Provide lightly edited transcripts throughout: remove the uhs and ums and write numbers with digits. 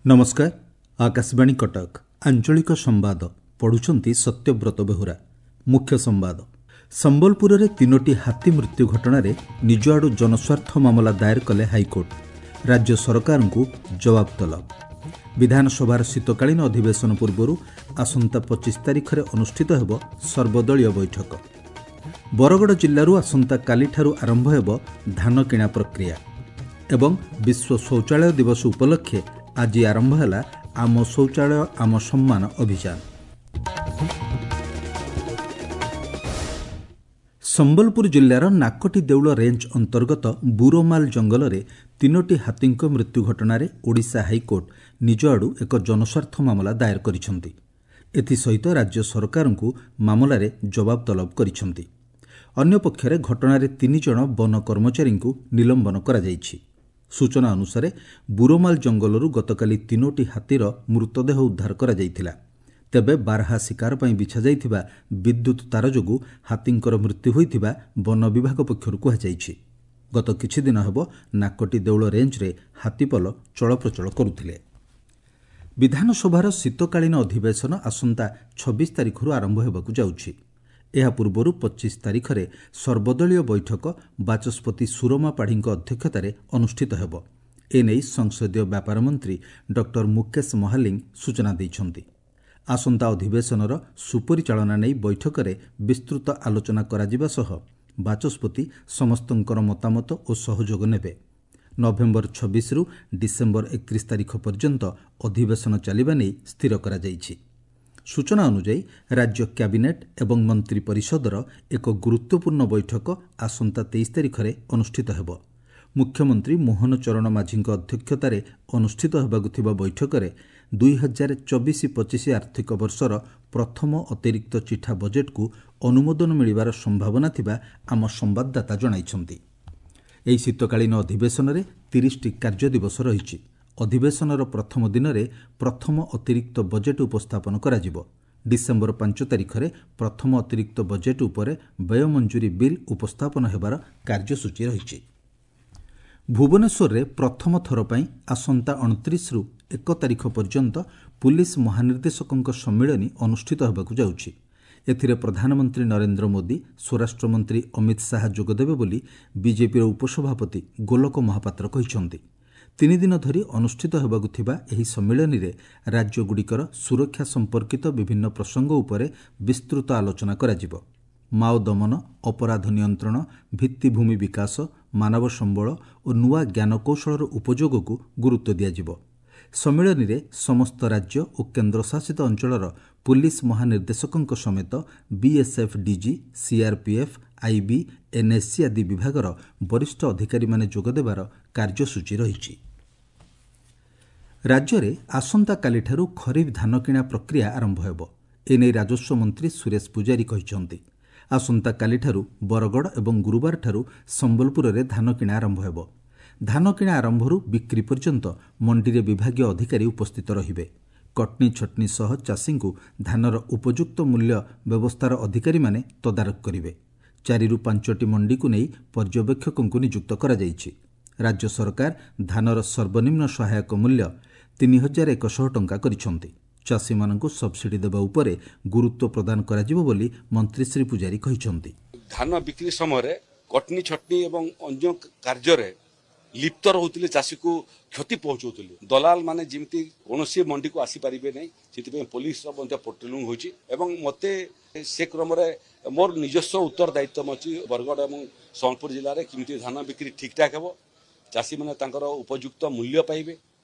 ନମସ୍କାର, ଆକାଶବାଣୀ କଟକ, ଆଞ୍ଚଳିକ ସମ୍ବାଦ ପଢ଼ୁଛନ୍ତି ସତ୍ୟବ୍ରତ ବେହୁରା। ମୁଖ୍ୟ ସମ୍ବାଦ। ସମ୍ବଲପୁରରେ 3ଟି ହାତୀ ମୃତ୍ୟୁ ଘଟଣାରେ ନିଜ ଆଡୁ ଜନସ୍ୱାର୍ଥ ମାମଲା ଦାଏର କଲେ ହାଇକୋର୍ଟ। ରାଜ୍ୟ ସରକାରଙ୍କୁ ଜବାବ ତଲବ। ବିଧାନସଭାର ଶୀତକାଳୀନ ଅଧିବେଶନ ପୂର୍ବରୁ ଆସନ୍ତା 25 ତାରିଖରେ ଅନୁଷ୍ଠିତ ହେବ ସର୍ବଦଳୀୟ ବୈଠକ। ବରଗଡ଼ ଜିଲ୍ଲାରୁ ଆସନ୍ତାକାଲିଠାରୁ ଆରମ୍ଭ ହେବ ଧାନ କିଣା ପ୍ରକ୍ରିୟା। ଏବଂ ବିଶ୍ୱ ଶୌଚାଳୟ ଦିବସ ଉପଲକ୍ଷେ ଆଜି ଆରମ୍ଭ ହେଲା ଆମ ଶୌଚାଳୟ ଆମ ସମ୍ମାନ ଅଭିଯାନ। ସମ୍ବଲପୁର ଜିଲ୍ଲାର ନାକଟି ଦେଉଳ ରେଞ୍ଜ ଅନ୍ତର୍ଗତ ବୁରୋମାଲ ଜଙ୍ଗଲରେ 3ଟି ହାତୀଙ୍କ ମୃତ୍ୟୁ ଘଟଣାରେ ଓଡ଼ିଶା ହାଇକୋର୍ଟ ନିଜ ଆଡୁ ଏକ ଜନସ୍ୱାର୍ଥ ମାମଲା ଦାଏର କରିଛନ୍ତି। ଏଥିସହିତ ରାଜ୍ୟ ସରକାରଙ୍କୁ ମାମଲାରେ ଜବାବ ତଲବ କରିଛନ୍ତି। ଅନ୍ୟପକ୍ଷରେ ଘଟଣାରେ 3 ଜଣ ବନ କର୍ମଚାରୀଙ୍କୁ ନିଲମ୍ବନ କରାଯାଇଛି। ସୂଚନା ଅନୁସାରେ ବୁରୋମାଲ ଜଙ୍ଗଲରୁ ଗତକାଲି 3ଟି ହାତୀର ମୃତଦେହ ଉଦ୍ଧାର କରାଯାଇଥିଲା। ତେବେ ବାରହା ଶିକାର ପାଇଁ ବିଛାଯାଇଥିବା ବିଦ୍ୟୁତ୍ ତାର ଯୋଗୁଁ ହାତୀଙ୍କର ମୃତ୍ୟୁ ହୋଇଥିବା ବନ ବିଭାଗ ପକ୍ଷରୁ କୁହାଯାଇଛି। ଗତ କିଛିଦିନ ହେବ ନାକଟି ଦେଉଳ ରେଞ୍ଜରେ ହାତୀପଲ ଚଳପ୍ରଚଳ କରୁଥିଲେ। ବିଧାନସଭାର ଶୀତକାଳୀନ ଅଧିବେଶନ ଆସନ୍ତା 26 ତାରିଖରୁ ଆରମ୍ଭ ହେବାକୁ ଯାଉଛି। ଏହା ପୂର୍ବରୁ 25 ତାରିଖରେ ସର୍ବଦଳୀୟ ବୈଠକ ବାଚସ୍ପତି ସୁରମା ପାଢ଼ୀଙ୍କ ଅଧ୍ୟକ୍ଷତାରେ ଅନୁଷ୍ଠିତ ହେବ। ଏନେଇ ସଂସଦୀୟ ବ୍ୟାପାର ମନ୍ତ୍ରୀ ଡକ୍ଟର ମୁକେଶ ମହାଲିଙ୍ଗ ସୂଚନା ଦେଇଛନ୍ତି। ଆସନ୍ତା ଅଧିବେଶନର ସୁପରିଚାଳନା ନେଇ ବୈଠକରେ ବିସ୍ତୃତ ଆଲୋଚନା କରାଯିବା ସହ ବାଚସ୍ପତି ସମସ୍ତଙ୍କର ମତାମତ ଓ ସହଯୋଗ ନେବେ। ନଭେମ୍ବର 26ରୁ ଡିସେମ୍ବର 31 ତାରିଖ ପର୍ଯ୍ୟନ୍ତ ଅଧିବେଶନ ଚାଲିବା ନେଇ ସ୍ଥିର କରାଯାଇଛି। ସୂଚନା ଅନୁଯାୟୀ ରାଜ୍ୟ କ୍ୟାବିନେଟ୍ ଏବଂ ମନ୍ତ୍ରୀ ପରିଷଦର ଏକ ଗୁରୁତ୍ୱପୂର୍ଣ୍ଣ ବୈଠକ ଆସନ୍ତା 23 ତାରିଖରେ ଅନୁଷ୍ଠିତ ହେବ। ମୁଖ୍ୟମନ୍ତ୍ରୀ ମୋହନ ଚରଣ ମାଝୀଙ୍କ ଅଧ୍ୟକ୍ଷତାରେ ଅନୁଷ୍ଠିତ ହେବାକୁ ଥିବା ବୈଠକରେ 2024-25 ଆର୍ଥିକ ବର୍ଷର ପ୍ରଥମ ଅତିରିକ୍ତ ଚିଠା ବଜେଟ୍କୁ ଅନୁମୋଦନ ମିଳିବାର ସମ୍ଭାବନା ଥିବା ଆମ ସମ୍ବାଦଦାତା ଜଣାଇଛନ୍ତି। ଏହି ଶୀତକାଳୀନ ଅଧିବେଶନରେ 30ଟି କାର୍ଯ୍ୟ ଦିବସ ରହିଛି। ଅଧିବେଶନର ପ୍ରଥମ ଦିନରେ ପ୍ରଥମ ଅତିରିକ୍ତ ବଜେଟ୍ ଉପସ୍ଥାପନ କରାଯିବ। ଡିସେମ୍ବର 5 ତାରିଖରେ ପ୍ରଥମ ଅତିରିକ୍ତ ବଜେଟ୍ ଉପରେ ବ୍ୟୟ ମଞ୍ଜୁରୀ ବିଲ୍ ଉପସ୍ଥାପନ ହେବାର କାର୍ଯ୍ୟସୂଚୀ ରହିଛି। ଭୁବନେଶ୍ୱରରେ ପ୍ରଥମ ଥର ପାଇଁ ଆସନ୍ତା 29ରୁ 1 ତାରିଖ ପର୍ଯ୍ୟନ୍ତ ପୁଲିସ ମହାନିର୍ଦ୍ଦେଶକଙ୍କ ସମ୍ମିଳନୀ ଅନୁଷ୍ଠିତ ହେବାକୁ ଯାଉଛି। ଏଥିରେ ପ୍ରଧାନମନ୍ତ୍ରୀ ନରେନ୍ଦ୍ର ମୋଦି, ସ୍ୱରାଷ୍ଟ୍ରମନ୍ତ୍ରୀ ଅମିତ ଶାହା ଯୋଗଦେବେ ବୋଲି ବିଜେପିର ଉପସଭାପତି ଗୋଲକ ମହାପାତ୍ର କହିଛନ୍ତି। 3 ଦିନ ଧରି ଅନୁଷ୍ଠିତ ହେବାକୁ ଥିବା ଏହି ସମ୍ମିଳନୀରେ ରାଜ୍ୟଗୁଡ଼ିକର ସୁରକ୍ଷା ସମ୍ପର୍କିତ ବିଭିନ୍ନ ପ୍ରସଙ୍ଗ ଉପରେ ବିସ୍ତୃତ ଆଲୋଚନା କରାଯିବ। ମାଓ ଦମନ, ଅପରାଧ ନିୟନ୍ତ୍ରଣ, ଭିତ୍ତିଭୂମି ବିକାଶ, ମାନବ ସମ୍ବଳ ଓ ନୂଆ ଜ୍ଞାନକୌଶଳର ଉପଯୋଗକୁ ଗୁରୁତ୍ୱ ଦିଆଯିବ। ସମ୍ମିଳନୀରେ ସମସ୍ତ ରାଜ୍ୟ ଓ କେନ୍ଦ୍ରଶାସିତ ଅଞ୍ଚଳର ପୁଲିସ ମହାନିର୍ଦ୍ଦେଶକଙ୍କ ସମେତ ବିଏସ୍ଏଫ୍ ଡିଜି, ସିଆର୍ପିଏଫ୍, ଆଇବି, ଏନ୍ଏସ୍ଜି ଆଦି ବିଭାଗର ବରିଷ୍ଠ ଅଧିକାରୀମାନେ ଯୋଗଦେବାର କାର୍ଯ୍ୟସୂଚୀ ରହିଛି। ରାଜ୍ୟରେ ଆସନ୍ତାକାଲିଠାରୁ ଖରିଫ ଧାନ କିଣା ପ୍ରକ୍ରିୟା ଆରମ୍ଭ ହେବ। ଏନେଇ ରାଜସ୍ୱ ମନ୍ତ୍ରୀ ସୁରେଶ ପୂଜାରୀ କହିଛନ୍ତି। ଆସନ୍ତାକାଲିଠାରୁ ବରଗଡ଼ ଏବଂ ଗୁରୁବାରଠାରୁ ସମ୍ବଲପୁରରେ ଧାନ କିଣା ଆରମ୍ଭ ହେବ। ଧାନ କିଣା ଆରମ୍ଭରୁ ବିକ୍ରି ପର୍ଯ୍ୟନ୍ତ ମଣ୍ଡିରେ ବିଭାଗୀୟ ଅଧିକାରୀ ଉପସ୍ଥିତ ରହିବେ। କଟନୀ ଛଟନୀ ସହ ଚାଷୀଙ୍କୁ ଧାନର ଉପଯୁକ୍ତ ମୂଲ୍ୟ ବ୍ୟବସ୍ଥାର ଅଧିକାରୀମାନେ ତଦାରଖ କରିବେ। 4ରୁ 5ଟି ମଣ୍ଡିକୁ ନେଇ ପର୍ଯ୍ୟବେକ୍ଷକଙ୍କୁ ନିଯୁକ୍ତ କରାଯାଇଛି। ରାଜ୍ୟ ସରକାର ଧାନର ସର୍ବନିମ୍ନ ସହାୟକ ମୂଲ୍ୟ 3100 ଟଙ୍କା କରିଛନ୍ତି। ଚାଷୀମାନଙ୍କୁ ସବସିଡି ଦେବା ଉପରେ ଗୁରୁତ୍ୱ ପ୍ରଦାନ କରାଯିବ ବୋଲି ମନ୍ତ୍ରୀ ଶ୍ରୀ ପୂଜାରୀ କହିଛନ୍ତି। ଧାନ ବିକ୍ରି ସମୟରେ କଟନୀ ଛଟନୀ ଏବଂ ଅନ୍ୟ କାର୍ଯ୍ୟରେ ଲିପ୍ତ ରହୁଥିଲେ, ଚାଷୀକୁ କ୍ଷତି ପହଞ୍ଚାଉଥିଲେ। ଦଲାଲ ମାନେ ଯେମିତି କୌଣସି ମଣ୍ଡିକୁ ଆସିପାରିବେ ନାହିଁ, ସେଥିପାଇଁ ପୋଲିସର ମଧ୍ୟ ପେଟ୍ରୋଲିଂ ହେଉଛି। ଏବଂ ମୋତେ ସେ କ୍ରମରେ ମୋର ନିଜସ୍ୱ ଉତ୍ତରଦାୟିତ୍ୱ ଅଛି ବରଗଡ଼ ଏବଂ ସମ୍ବଲପୁର ଜିଲ୍ଲାରେ କେମିତି ଧାନ ବିକ୍ରି ଠିକ୍ଠାକ୍ ହେବ, ଚାଷୀମାନେ ତାଙ୍କର ଉପଯୁକ୍ତ ମୂଲ୍ୟ ପାଇବେ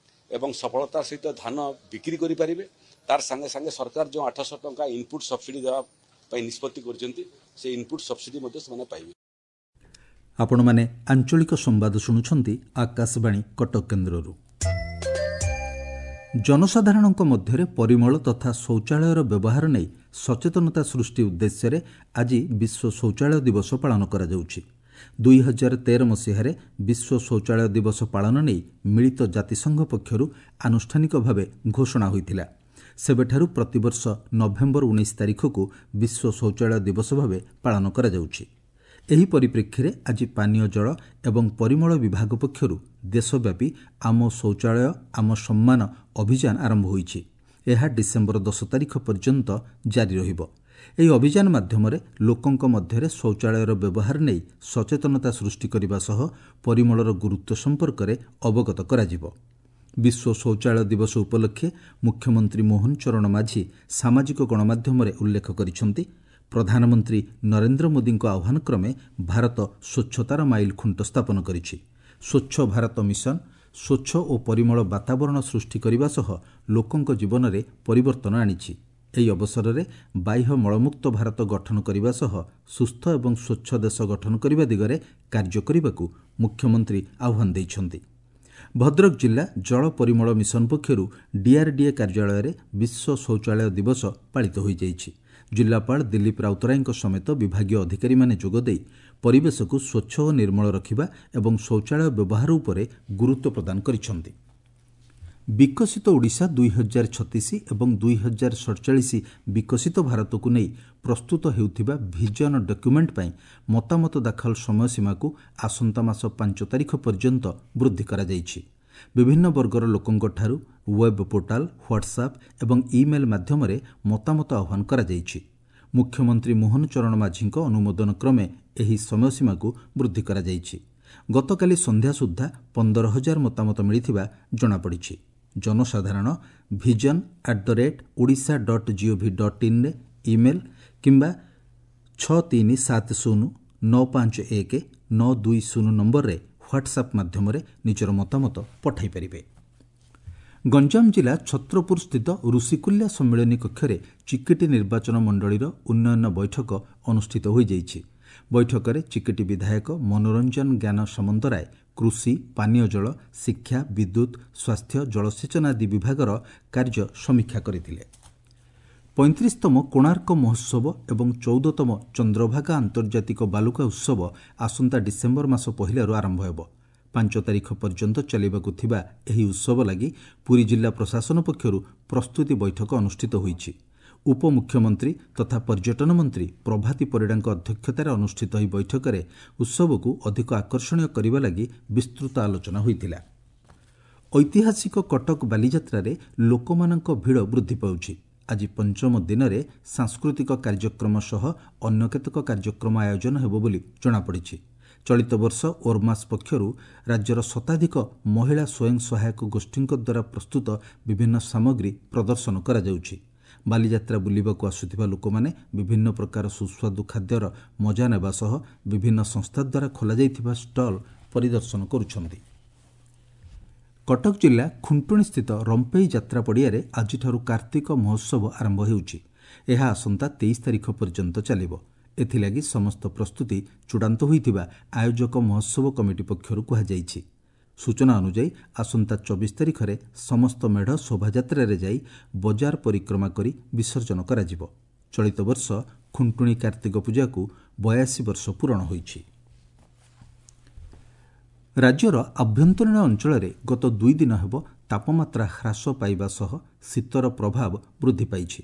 ଏବଂ ସଫଳତାର ସହିତ ଧାନ ବିକ୍ରି କରିପାରିବେ। ତାର ସାଙ୍ଗେ ସାଙ୍ଗେ ସରକାର ଯେଉଁ 800 ଟଙ୍କା ଇନପୁଟ୍ ସବସିଡି ଦେବା ପାଇଁ ନିଷ୍ପତ୍ତି କରିଛନ୍ତି, ସେ ଇନପୁଟ୍ ସବସିଡି ମଧ୍ୟ ସେମାନେ ପାଇବେ। ଆପଣମାନେ ଆଞ୍ଚଳିକ ସମ୍ବାଦ ଶୁଣୁଛନ୍ତି ଆକାଶବାଣୀ କଟକ କେନ୍ଦ୍ରରୁ। ଜନସାଧାରଣଙ୍କ ମଧ୍ୟରେ ପରିମଳ ତଥା ଶୌଚାଳୟର ବ୍ୟବହାର ନେଇ ସଚେତନତା ସୃଷ୍ଟି ଉଦ୍ଦେଶ୍ୟରେ ଆଜି ବିଶ୍ୱ ଶୌଚାଳୟ ଦିବସ ପାଳନ କରାଯାଉଛି। 2013 ମସିହାରେ ବିଶ୍ୱ ଶୌଚାଳୟ ଦିବସ ପାଳନ ନେଇ ମିଳିତ ଜାତିସଂଘ ପକ୍ଷରୁ ଆନୁଷ୍ଠାନିକ ଭାବେ ଘୋଷଣା ହୋଇଥିଲା। ସେବେଠାରୁ ପ୍ରତିବର୍ଷ ନଭେମ୍ବର 19 ତାରିଖକୁ ବିଶ୍ୱ ଶୌଚାଳୟ ଦିବସ ଭାବେ ପାଳନ କରାଯାଉଛି। ଏହି ପରିପ୍ରେକ୍ଷୀରେ ଆଜି ପାନୀୟ ଜଳ ଏବଂ ପରିମଳ ବିଭାଗ ପକ୍ଷରୁ ଦେଶବ୍ୟାପୀ ଆମ ଶୌଚାଳୟ ଆମ ସମ୍ମାନ ଅଭିଯାନ ଆରମ୍ଭ ହୋଇଛି। ଏହା ଡିସେମ୍ବର 10 ତାରିଖ ପର୍ଯ୍ୟନ୍ତ ଜାରି ରହିବ। ଏହି ଅଭିଯାନ ମାଧ୍ୟମରେ ଲୋକଙ୍କ ମଧ୍ୟରେ ଶୌଚାଳୟର ବ୍ୟବହାର ନେଇ ସଚେତନତା ସୃଷ୍ଟି କରିବା ସହ ପରିମଳର ଗୁରୁତ୍ୱ ସମ୍ପର୍କରେ ଅବଗତ କରାଯିବ। ବିଶ୍ୱ ଶୌଚାଳୟ ଦିବସ ଉପଲକ୍ଷେ ମୁଖ୍ୟମନ୍ତ୍ରୀ ମୋହନ ଚରଣ ମାଝୀ ସାମାଜିକ ଗଣମାଧ୍ୟମରେ ଉଲ୍ଲେଖ କରିଛନ୍ତି, ପ୍ରଧାନମନ୍ତ୍ରୀ ନରେନ୍ଦ୍ର ମୋଦିଙ୍କ ଆହ୍ୱାନ କ୍ରମେ ଭାରତ ସ୍ୱଚ୍ଛତାର ମାଇଲ ଖୁଣ୍ଟ ସ୍ଥାପନ କରିଛି। ସ୍ୱଚ୍ଛ ଭାରତ ମିଶନ ସ୍ୱଚ୍ଛ ଓ ପରିମଳ ବାତାବରଣ ସୃଷ୍ଟି କରିବା ସହ ଲୋକଙ୍କ ଜୀବନରେ ପରିବର୍ତ୍ତନ ଆଣିଛି। ଏହି ଅବସରରେ ବାହ୍ୟ ମଳମୁକ୍ତ ଭାରତ ଗଠନ କରିବା ସହ ସୁସ୍ଥ ଏବଂ ସ୍ୱଚ୍ଛ ଦେଶ ଗଠନ କରିବା ଦିଗରେ କାର୍ଯ୍ୟ କରିବାକୁ ମୁଖ୍ୟମନ୍ତ୍ରୀ ଆହ୍ୱାନ ଦେଇଛନ୍ତି। ଭଦ୍ରକ ଜିଲ୍ଲା ଜଳ ପରିମଳ ମିଶନ ପକ୍ଷରୁ ଡିଆର୍ଡିଏ କାର୍ଯ୍ୟାଳୟରେ ବିଶ୍ୱ ଶୌଚାଳୟ ଦିବସ ପାଳିତ ହୋଇଯାଇଛି। ଜିଲ୍ଲାପାଳ ଦିଲ୍ଲୀପ ରାଉତରାୟଙ୍କ ସମେତ ବିଭାଗୀୟ ଅଧିକାରୀମାନେ ଯୋଗଦେଇ ପରିବେଶକୁ ସ୍ୱଚ୍ଛ ଓ ନିର୍ମଳ ରଖିବା ଏବଂ ଶୌଚାଳୟ ବ୍ୟବହାର ଉପରେ ଗୁରୁତ୍ୱ ପ୍ରଦାନ କରିଛନ୍ତି। ବିକଶିତ ଓଡ଼ିଶା 2036 ଏବଂ 2047 ବିକଶିତ ଭାରତକୁ ନେଇ ପ୍ରସ୍ତୁତ ହେଉଥିବା ଭିଜନ ଡକ୍ୟୁମେଣ୍ଟ ପାଇଁ ମତାମତ ଦାଖଲ ସମୟସୀମାକୁ ଆସନ୍ତା ମାସ 5 ତାରିଖ ପର୍ଯ୍ୟନ୍ତ ବୃଦ୍ଧି କରାଯାଇଛି। ବିଭିନ୍ନ ବର୍ଗର ଲୋକଙ୍କଠାରୁ ୱେବ୍ ପୋର୍ଟାଲ, ହ୍ୱାଟ୍ସଆପ୍ ଏବଂ ଇମେଲ୍ ମାଧ୍ୟମରେ ମତାମତ ଆହ୍ୱାନ କରାଯାଇଛି। ମୁଖ୍ୟମନ୍ତ୍ରୀ ମୋହନ ଚରଣ ମାଝୀଙ୍କ ଅନୁମୋଦନ କ୍ରମେ ଏହି ସମୟସୀମାକୁ ବୃଦ୍ଧି କରାଯାଇଛି। ଗତକାଲି ସନ୍ଧ୍ୟା ସୁଦ୍ଧା 15,000 ମତାମତ ମିଳିଥିବା ଜଣାପଡ଼ିଛି। ଜନସାଧାରଣ vision@odisha.gov.in email କିମ୍ବା 637 0951 920 ନମ୍ବରରେ ହ୍ୱାଟ୍ସଆପ୍ ମାଧ୍ୟମରେ ନିଜର ମତାମତ ପଠାଇ ପାରିବେ। ଗଞ୍ଜାମ ଜିଲ୍ଲା ଛତ୍ରପୁର ସ୍ଥିତ ଋଷିକୁଲ୍ୟା ସମ୍ମିଳନୀ କକ୍ଷରେ ଚିକିଟି ନିର୍ବାଚନ ମଣ୍ଡଳୀର ଉନ୍ନୟନ ବୈଠକ ଅନୁଷ୍ଠିତ ହୋଇଯାଇଛି। ବୈଠକରେ ଚିକିଟି ବିଧାୟକ ମନୋରଞ୍ଜନ ଜ୍ଞାନ ସାମନ୍ତରାୟ କୃଷି, ପାନୀୟ ଜଳ, ଶିକ୍ଷା, ବିଦ୍ୟୁତ୍, ସ୍ୱାସ୍ଥ୍ୟ, ଜଳସେଚନ ଆଦି ବିଭାଗର କାର୍ଯ୍ୟ ସମୀକ୍ଷା କରିଥିଲେ। 35ତମ କୋଣାର୍କ ମହୋତ୍ସବ ଏବଂ 14ତମ ଚନ୍ଦ୍ରଭାଗା ଆନ୍ତର୍ଜାତିକ ବାଲୁକା ଉତ୍ସବ ଆସନ୍ତା ଡିସେମ୍ବର ମାସ 1ରୁ ଆରମ୍ଭ ହେବ। 5 ତାରିଖ ପର୍ଯ୍ୟନ୍ତ ଚାଲିବାକୁ ଥିବା ଏହି ଉତ୍ସବ ଲାଗି ପୁରୀ ଜିଲ୍ଲା ପ୍ରଶାସନ ପକ୍ଷରୁ ପ୍ରସ୍ତୁତି ବୈଠକ ଅନୁଷ୍ଠିତ ହୋଇଛି। ଉପମୁଖ୍ୟମନ୍ତ୍ରୀ ତଥା ପର୍ଯ୍ୟଟନ ମନ୍ତ୍ରୀ ପ୍ରଭାତୀ ପରିଡ଼ାଙ୍କ ଅଧ୍ୟକ୍ଷତାରେ ଅନୁଷ୍ଠିତ ଏହି ବୈଠକରେ ଉତ୍ସବକୁ ଅଧିକ ଆକର୍ଷଣୀୟ କରିବା ଲାଗି ବିସ୍ତୃତ ଆଲୋଚନା ହୋଇଥିଲା। ଐତିହାସିକ କଟକ ବାଲିଯାତ୍ରାରେ ଲୋକମାନଙ୍କ ଭିଡ଼ ବୃଦ୍ଧି ପାଉଛି। ଆଜି ପଞ୍ଚମ ଦିନରେ ସାଂସ୍କୃତିକ କାର୍ଯ୍ୟକ୍ରମ ସହ ଅନ୍ୟ କେତେକ କାର୍ଯ୍ୟକ୍ରମ ଆୟୋଜନ ହେବ ବୋଲି ଜଣାପଡ଼ିଛି। ଚଳିତ ବର୍ଷ ଓର୍ମାସ୍ ପକ୍ଷରୁ ରାଜ୍ୟର ଶତାଧିକ ମହିଳା ସ୍ୱୟଂ ସହାୟକ ଗୋଷ୍ଠୀଙ୍କ ଦ୍ୱାରା ପ୍ରସ୍ତୁତ ବିଭିନ୍ନ ସାମଗ୍ରୀ ପ୍ରଦର୍ଶନ କରାଯାଉଛି। ବାଲିଯାତ୍ରା ବୁଲିବାକୁ ଆସୁଥିବା ଲୋକମାନେ ବିଭିନ୍ନ ପ୍ରକାର ସୁସ୍ୱାଦୁ ଖାଦ୍ୟର ମଜା ନେବା ସହ ବିଭିନ୍ନ ସଂସ୍ଥା ଦ୍ୱାରା ଖୋଲାଯାଇଥିବା ଷ୍ଟଲ୍ ପରିଦର୍ଶନ କରୁଛନ୍ତି। କଟକ ଜିଲ୍ଲା ଖୁଣ୍ଟୁଣୀସ୍ଥିତ ରମ୍ପେଇ ଯାତ୍ରା ପଡ଼ିଆରେ ଆଜିଠାରୁ କାର୍ତ୍ତିକ ମହୋତ୍ସବ ଆରମ୍ଭ ହେଉଛି। ଏହା ଆସନ୍ତା 23 ତାରିଖ ପର୍ଯ୍ୟନ୍ତ ଚାଲିବ। ଏଥିଲାଗି ସମସ୍ତ ପ୍ରସ୍ତୁତି ଚୂଡ଼ାନ୍ତ ହୋଇଥିବା ଆୟୋଜକ ମହୋତ୍ସବ କମିଟି ପକ୍ଷରୁ କୁହାଯାଇଛି। ସୂଚନା ଅନୁଯାୟୀ ଆସନ୍ତା 24 ତାରିଖରେ ସମସ୍ତ ମେଢ଼ ଶୋଭାଯାତ୍ରାରେ ଯାଇ ବଜାର ପରିକ୍ରମା କରି ବିସର୍ଜନ କରାଯିବ। ଚଳିତ ବର୍ଷ ଖୁଣ୍ଟୁଣୀ କାର୍ତ୍ତିକ ପୂଜାକୁ 82 ବର୍ଷ ପୂରଣ ହୋଇଛି। ରାଜ୍ୟର ଆଭ୍ୟନ୍ତରୀଣ ଅଞ୍ଚଳରେ ଗତ 2 ଦିନ ହେବ ତାପମାତ୍ରା ହ୍ରାସ ପାଇବା ସହ ଶୀତର ପ୍ରଭାବ ବୃଦ୍ଧି ପାଇଛି।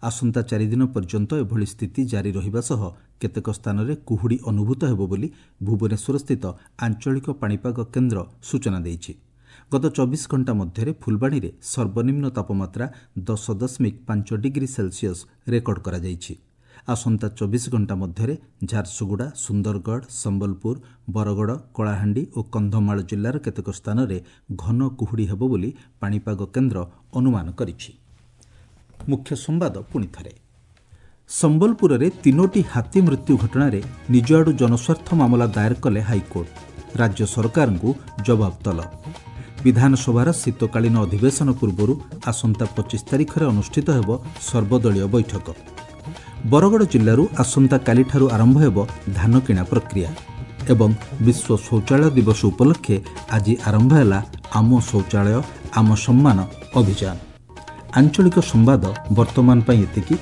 ଆସନ୍ତା 4 ଦିନ ପର୍ଯ୍ୟନ୍ତ ଏଭଳି ସ୍ଥିତି ଜାରି ରହିବା ସହ କେତେକ ସ୍ଥାନରେ କୁହୁଡ଼ି ଅନୁଭୂତ ହେବ ବୋଲି ଭୁବନେଶ୍ୱରସ୍ଥିତ ଆଞ୍ଚଳିକ ପାଣିପାଗ କେନ୍ଦ୍ର ସୂଚନା ଦେଇଛି। ଗତ 24 ଘଣ୍ଟା ମଧ୍ୟରେ ଫୁଲବାଣୀରେ ସର୍ବନିମ୍ନ ତାପମାତ୍ରା 10.5 ଡିଗ୍ରୀ ସେଲସିୟସ୍ ରେକର୍ଡ କରାଯାଇଛି। ଆସନ୍ତା 24 ଘଣ୍ଟା ମଧ୍ୟରେ ଝାରସୁଗୁଡ଼ା, ସୁନ୍ଦରଗଡ଼, ସମ୍ବଲପୁର, ବରଗଡ଼, କଳାହାଣ୍ଡି ଓ କନ୍ଧମାଳ ଜିଲ୍ଲାର କେତେକ ସ୍ଥାନରେ ଘନ କୁହୁଡ଼ି ହେବ ବୋଲି ପାଣିପାଗ କେନ୍ଦ୍ର ଅନୁମାନ କରିଛି। ମୁଖ୍ୟ ସମ୍ବାଦ ପୁଣି ଥରେ। ସମ୍ବଲପୁରରେ 3ଟି ହାତୀ ମୃତ୍ୟୁ ଘଟଣାରେ ନିଜ ଆଡୁ ଜନସ୍ୱାର୍ଥ ମାମଲା ଦାୟର କଲେ ହାଇକୋର୍ଟ। ରାଜ୍ୟ ସରକାରଙ୍କୁ ଜବାବ ତଲବ। ବିଧାନସଭାର ଶୀତକାଳୀନ ଅଧିବେଶନ ପୂର୍ବରୁ ଆସନ୍ତା 25 ତାରିଖରେ ଅନୁଷ୍ଠିତ ହେବ ସର୍ବଦଳୀୟ ବୈଠକ। ବରଗଡ଼ ଜିଲ୍ଲାରୁ ଆସନ୍ତାକାଲିଠାରୁ ଆରମ୍ଭ ହେବ ଧାନ କିଣା ପ୍ରକ୍ରିୟା। ଏବଂ ବିଶ୍ୱ ଶୌଚାଳୟ ଦିବସ ଉପଲକ୍ଷେ ଆଜି ଆରମ୍ଭ ହେଲା ଆମ ଶୌଚାଳୟ ଆମ ସମ୍ମାନ ଅଭିଯାନ। ଆଞ୍ଚଳିକ ସମ୍ବାଦ ବର୍ତ୍ତମାନ ପାଇଁ ଏତିକି।